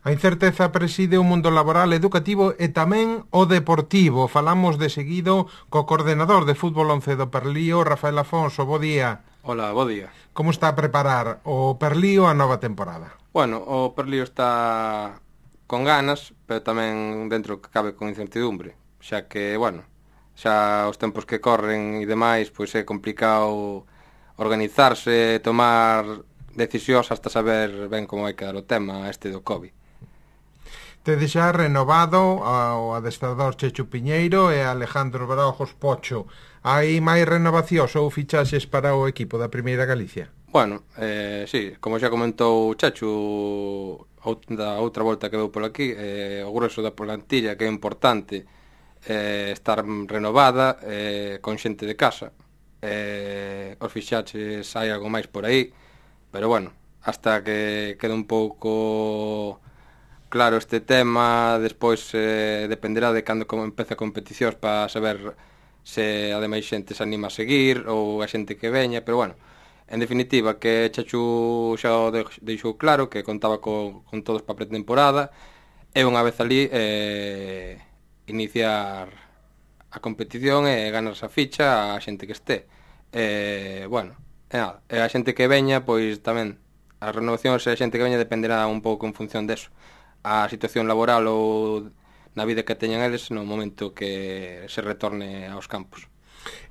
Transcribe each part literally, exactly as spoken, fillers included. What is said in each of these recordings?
A incerteza preside o mundo laboral, educativo e tamén o deportivo. Falamos de seguido co coordenador de fútbol once do Perlío, Rafael Afonso. Bo día. Hola, bo día. Como está a preparar o Perlío a nova temporada? Bueno, o Perlío está con ganas, pero tamén dentro que cabe con incertidumbre, xa que, bueno, xa os tempos que corren e demais, pois é complicado organizarse, tomar decisións hasta saber ben como vai quedar o tema este do COVID. Tede xa renovado o adestrador Chechu Piñeiro e Alejandro Barojos Pocho. Hai máis renovacións ou fichaxes para o equipo da Primeira Galicia? Bueno, eh, sí, como xa comentou Chechu da outra volta que veu por aquí, eh, o grueso da plantilla que é importante eh, estar renovada eh, con xente de casa. Eh, os fichaxes hai algo máis por aí, pero bueno, hasta que quede un pouco claro este tema, despois eh, dependerá de cando como empeza a competicións para saber se ademais xente se anima a seguir ou a xente que veña, pero bueno, en definitiva que Chechu xa o deixou claro que contaba co, con todos para a pretemporada e unha vez ali eh, iniciar a competición e ganar esa ficha a xente que este e, bueno, e nada, e a xente que veña pois tamén as renovacións e a xente que veña dependerá un pouco en función deso, a situación laboral ou na vida que teñan eles no momento que se retorne aos campos.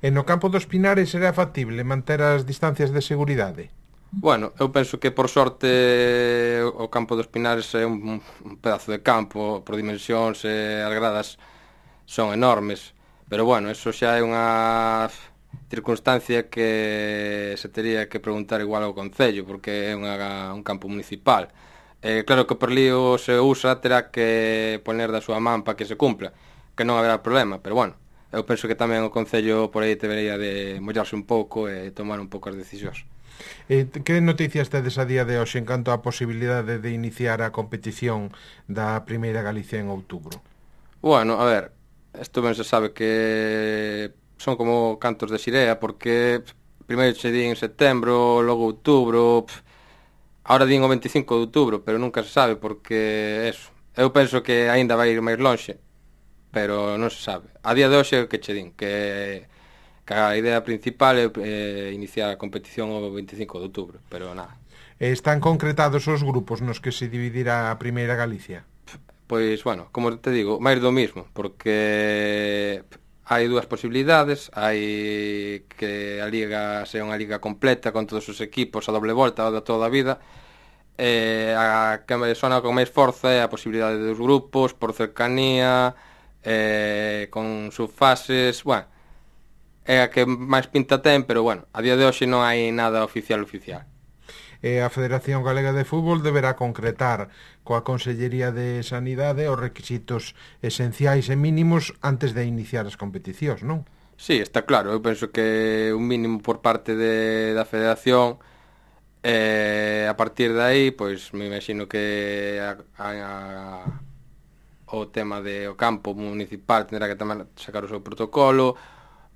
E no campo dos Pinares será factible manter as distancias de seguridade? Bueno, eu penso que por sorte o campo dos Pinares é un, un pedazo de campo, por dimensións e as gradas son enormes, pero bueno, eso xa é unha circunstancia que se tería que preguntar igual ao Concello, porque é unha, un campo municipal. Eh, claro que o Perlío se usa terá que poner da súa man para que se cumpla, que non haberá problema, pero bueno, eu penso que tamén o Concello por aí debería de mollarse un pouco e tomar un pouco as decisións. Eh, que noticias tedes a día de hoxe en canto á posibilidade de iniciar a competición da Primeira Galicia en outubro? Bueno, a ver, isto ben se sabe que son como cantos de xirea, porque primeiro che din en setembro, logo outubro, pff, ahora din o veinticinco de outubro, pero nunca se sabe porque eso. Eu penso que aínda vai ir máis lonxe, pero non se sabe. A día de hoxe que che din que, que a idea principal é eh, iniciar a competición o veinticinco de outubro, pero nada. Están concretados os grupos nos que se dividirá a Primeira Galicia? Pois, bueno, como te digo, máis do mismo, porque hai dúas posibilidades, hai que a liga sea unha liga completa con todos os equipos a doble volta da toda a vida, e a que me sona con máis forza é a posibilidade dos grupos por cercanía, eh, con subfases, bueno, é a que máis pinta ten, pero bueno, a día de hoxe non hai nada oficial oficial. E a Federación Galega de Fútbol deberá concretar coa Consellería de Sanidade os requisitos esenciais e mínimos antes de iniciar as competicións, non? Sí, está claro, eu penso que un mínimo por parte de, da Federación e a partir de aí, pois me imagino que a, a, a, o tema de o campo municipal tendrá que tamén sacar o seu protocolo,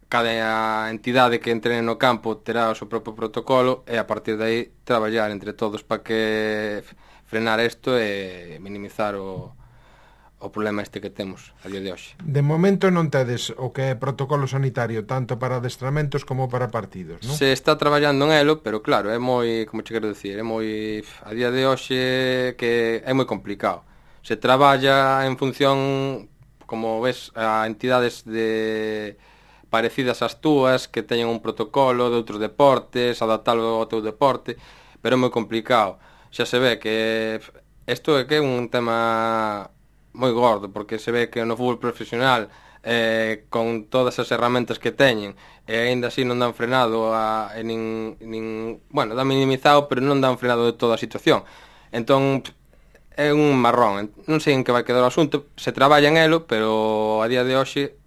cada entidade que entrene no campo terá o seu propio protocolo e a partir de aí traballar entre todos para que frenar isto e minimizar o, o problema este que temos a día de hoxe. De momento non tedes o que é protocolo sanitario tanto para adestramentos como para partidos, non? Se está traballando en elo, pero claro, é moi, como che quero dicir, é moi a día de hoxe que é moi complicado. Se traballa en función, como ves, a entidades de parecidas ás túas, que teñen un protocolo de outros deportes, adaptalo ao teu deporte, pero é moi complicado. Xa se ve que isto é que é un tema moi gordo, porque se ve que no fútbol profesional, eh, con todas as herramientas que teñen, e aínda así non dan frenado a, e nin, nin, bueno, dan minimizado, pero non dan frenado de toda a situación. Entón, é un marrón, non sei en que vai quedar o asunto, se traballa en elo, pero a día de hoxe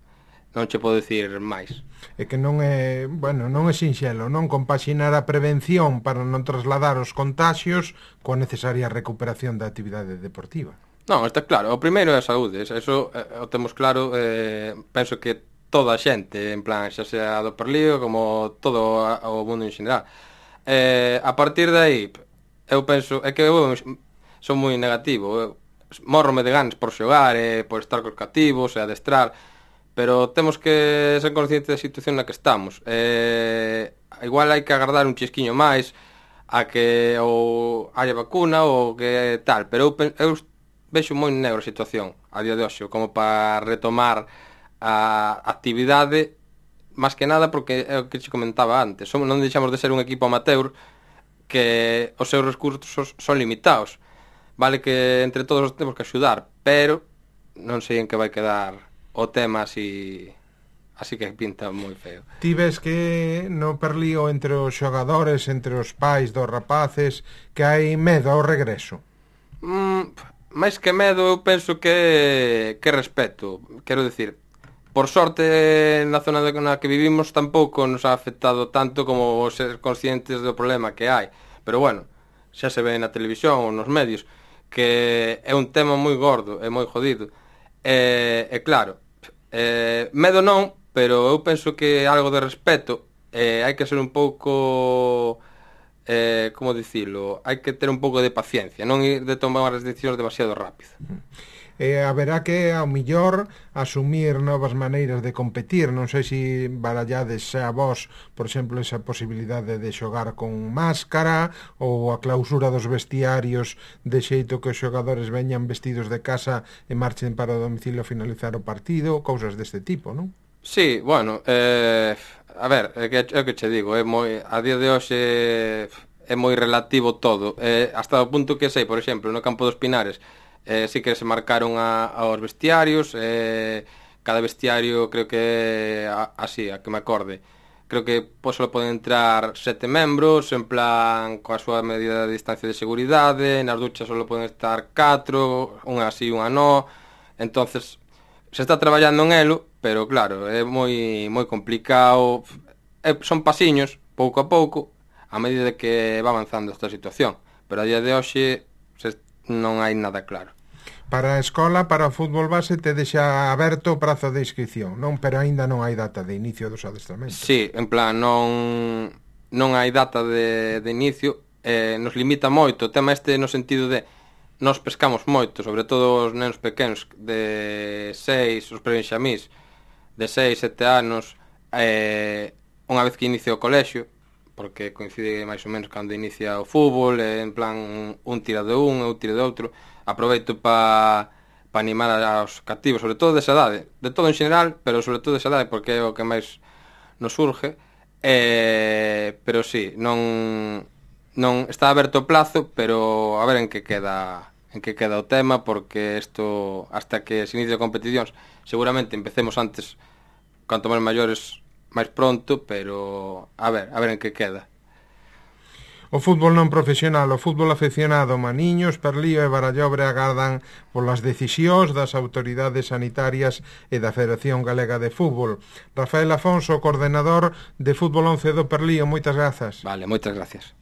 non che podo dicir máis. É que non é, bueno, non é sinxelo, non compaxinar a prevención para non trasladar os contaxios coa necesaria recuperación da actividade deportiva. Non, está claro, o primeiro é a saúde, eso eh, o temos claro, eh, penso que toda a xente, en plan, xa sea do Perlío como todo o mundo en xeral. Eh, a partir de aí, eu penso, é que eu son moi negativo, eu, morrome de ganas por xogar e por estar cos cativos e adestrar, pero temos que ser conscientes da situación na que estamos. Eh, igual hai que agardar un chisquiño máis a que ou haya vacuna ou que tal, pero eu, eu vexo moi negro a situación a día de hoxe como para retomar a actividade, máis que nada porque é o que te comentaba antes, somos, non deixamos de ser un equipo amateur que os seus recursos son limitados. Vale que entre todos temos que axudar, pero non sei en que vai quedar o tema así, así que pinta moi feo. Ti ves que no perlío entre os xogadores, entre os pais dos rapaces, que hai medo ao regreso? Mm, máis que medo, eu penso que que respeto. Quero decir, por sorte na zona na que vivimos tampouco nos ha afectado tanto como ser conscientes do problema que hai. Pero bueno, xa se ve na televisión ou nos medios que é un tema moi gordo e moi jodido. E, e claro, e, medo non, pero eu penso que algo de respeto, e hai que ser un pouco, eh, como dicilo, hai que ter un pouco de paciencia, non ir de tomar as decisións demasiado rápido. E haberá que, ao millor, asumir novas maneiras de competir. Non sei se barallades a vos, por exemplo, esa posibilidade de xogar con máscara ou a clausura dos vestiarios de xeito que os xogadores veñan vestidos de casa e marchen para o domicilio a finalizar o partido, cousas deste tipo, non? Sí, bueno, eh, a ver, é que, é que che digo, é moi, a día de hoxe é moi relativo todo, eh, hasta o punto que sei, por exemplo, no campo dos Pinares, Eh, sí que se marcaron a, aos vestiarios, eh, cada vestiario creo que a, así, a que me acorde, creo que pois, só poden entrar sete membros en plan coa súa medida de distancia de seguridade, nas duchas só poden estar catro, unha así, unha no. Entonces se está traballando en elo, pero claro, é moi moi complicado, é, son pasiños pouco a pouco a medida que va avanzando esta situación, pero a día de hoxe se non hai nada claro. Para a escola, para o fútbol base, te deixa aberto o prazo de inscripción, non? Pero aínda non hai data de inicio dos adestramentos. Sí, en plan, non non hai data de, de inicio, eh, nos limita moito o tema este no sentido de nos pescamos moito, sobre todo os nenos pequenos de seis, os prebenxamís, de seis, sete anos, eh, unha vez que inicia o colexio, porque coincide máis ou menos cando inicia o fútbol, en plan un tira de un, eu tira de outro. Aproveito para pa animar aos cativos, sobre todo desa idade, de todo en general, pero sobre todo desa idade porque é o que máis nos surge. Eh, pero sí, non non está aberto o plazo, pero a ver en que queda en que queda o tema, porque isto hasta que se inicie competicións, seguramente empecemos antes, canto máis maiores máis pronto, pero a ver, a ver en que queda. O fútbol non profesional, o fútbol afeccionado, Maniños, Perlío e Barallobre agardan polas decisións das autoridades sanitarias e da Federación Galega de Fútbol. Rafael Afonso, coordenador de Fútbol once do Perlío, moitas grazas. Vale, moitas gracias.